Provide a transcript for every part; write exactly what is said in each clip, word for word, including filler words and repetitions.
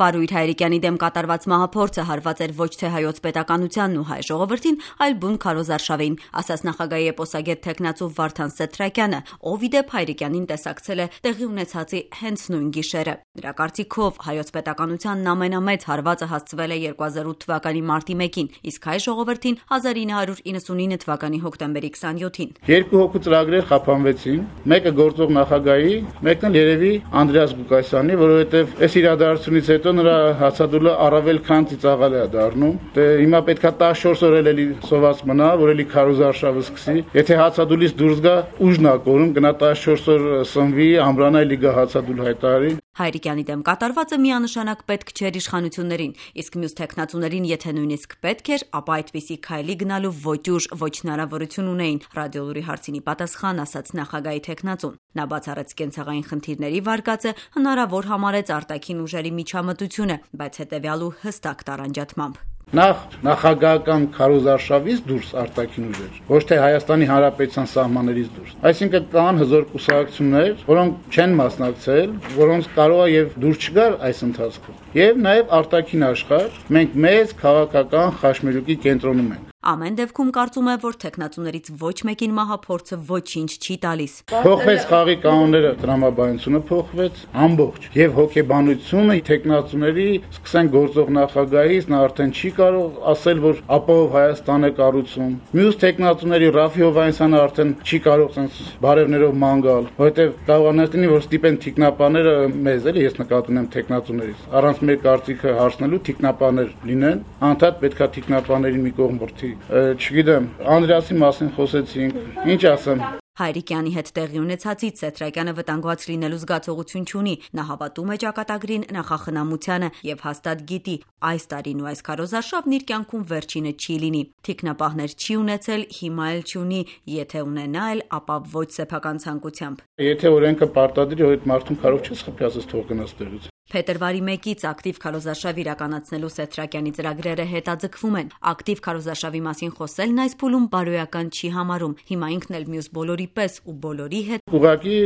Պարույր Հայրիկյանի դեմ կատարված մահափորձը հարված էր ոչ թե հայոց պետականությանն ու հայ ժողովրդին, այլ բուն քարոզարշավին, ասաց նախագահի էպոսագետ թեկնածու Վարդան Սեթրակյանը, ով ի դեպ Հայրիկյանին տեսակցել է տեղի ունեցածի հենց նույն գիշերը։ Նրա կարծիքով հայոց պետականությանն ամենամեծ հարվածը հասցվել է երկու հազար ութ թվականի մարտի մեկին, իսկ հայ ժողովրդին հազար ինը հարյուր իննսունինը թվականի հոկտեմբերի քսաներկուսին։ Երկու հոգու ծրագրեր խափանվեցին, մեկը գործող նախագահի, մեկն էլ երևի Անդրեաս Ղուկասյանի, որովհետև այս իրադարձությունից հետո նրա հացադուլը առավել քան ծիծաղալ է դառնում։ Դե հիմա պետքա տասնչորս օր էլի սոված մնա, որ էլի քարոզարշավը սկսի։ Եթե հացադուլից դուրս գա, ուժն ա կորում, գնա տասնչորս օր սնվի, ամրանա էլի գա հացադուլ հայտարարի։ Հայրիկյանի դեմ կատարվածը միանշանակ պետք չէր իշխանություններին, իսկ մյուս թեկնածուներին եթե նույնիսկ պետք էր, ապա այդպիսի քայլի գնալու ոչ ուժ, ոչ հնարավորություն ունեին։ Ռադիոլուրի հարցինի պատասխան ասաց նախագահի թեկնածուն։ Նա բացառեց կենցաղային խնդիրների վարկածը, հնարավոր համարեց արտաքին ուժերի միջամտությունը, բայց հետևյալու հստակ տարանջատմամբ։ Նախ նախագահական քարոզարշավից դուրս արտաքին ուժեր, ոչ թե Հայաստանի Հանրապետության սահմաններից դուրս։ Այսինքն կան հզոր կուսակցություններ, որոնք չեն մասնակցել, որոնց կարող է եւ դուրս չգար այս ընթացքում։ Եվ նաեւ արտաքին աշխարհ, մենք մեծ քաղաքական խաչմերուկի կենտրոնում ենք։ Ամեն դեպքում կարծում է, որ թեկնածուներից ոչ մեկին մահափորձը ոչինչ չի տալիս։ Փոխվեց խաղի կանոնները, տրամաբանությունը փոխվեց ամբողջ եւ հոգեբանությունը թեկնածուների, սկսեն գործող նախագահից, նա արդեն չի կարող ասել, որ ապահով Հայաստան է կառուցում։ Մյուս թեկնածուների Ռաֆի Հովհաննիսյանը արդեն չի կարող sense բարևներով ման գալ, որովհետեւ կարողանա լինի, որ ստիպեն թիկնապաները մեզ էլի, ես նկատում եմ թեկնածուներից։ Առանց մեր կարծիքը հարցնելու թիկնապաներ լինեն, անդադ պետքա թիկնապաներին մի կողմ բրդի։ Չգիտեմ, Անդրեասի մասին խոսեցինք, ինչ ասեմ։ Հայրիկյանի հետ տեղի ունեցածից Սեթրակյանը վտանգված լինելու զգացողություն չունի։ Նա հավատում է ճակատագրին, նախախնամությանը եւ հաստատ գիտի, այս տարին ու այս քարոզարշավն իր կյանքում վերջինը չի լինի։ Թիկնապահներ չի ունեցել, հիմա էլ չունի, եթե ունենա էլ, ապա ոչ սեփական ցանկությամբ։ Եթե օրենքը պարտադիր է, այդ մարդուն կարող չես խփի, ասես թող գնաս տեղից։ Փետրվարի մեկից ակտիվ քարոզարշավ իրականացնելու Սեթրակյանի ծրագրերը հետաձգվում են։ Ակտիվ քարոզարշավի մասին խոսելն այս փուլում բարոյական չի համարում։ Հիմա ինքն էլ մյուս բոլորի պես ու բոլորի հետ ուղղակի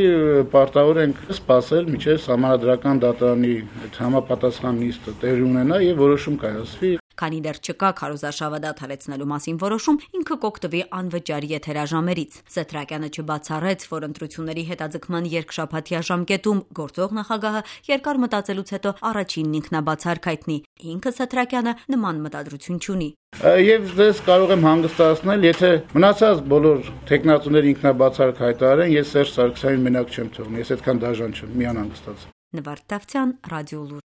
պարտավոր ենք սպասել մինչև Սահմանադրական դատարանի համապատասխան նիստը տեղի ունենա եւ որոշում կայացվի։ Քանի դեռ չկա քարոզարշավը դադարեցնելու մասին որոշում, ինքը կօգտվի անվճար եթերաժամերից։ Սեթրակյանը չբացառեց, որ ընտրությունների հետաձգման երկշաբաթյա ժամկետում գործող նախագահը երկար մտածելուց հետո առաջինն ինքնաբացարկ հայտնի։ Ինքը Սեթրակյանը նման մտադրություն չունի։ Եվ դες կարող եմ հանգստացնել, եթե մնացած բոլոր թեկնածուները ինքնաբացարկ հայտարարեն, ես Սերժ Սարգսյանին մենակ չեմ թողնի, ես այդքան դաժան չեմ, մի անհանգստացա։ Նվարդ Դավթյան, Ռադիոլուր։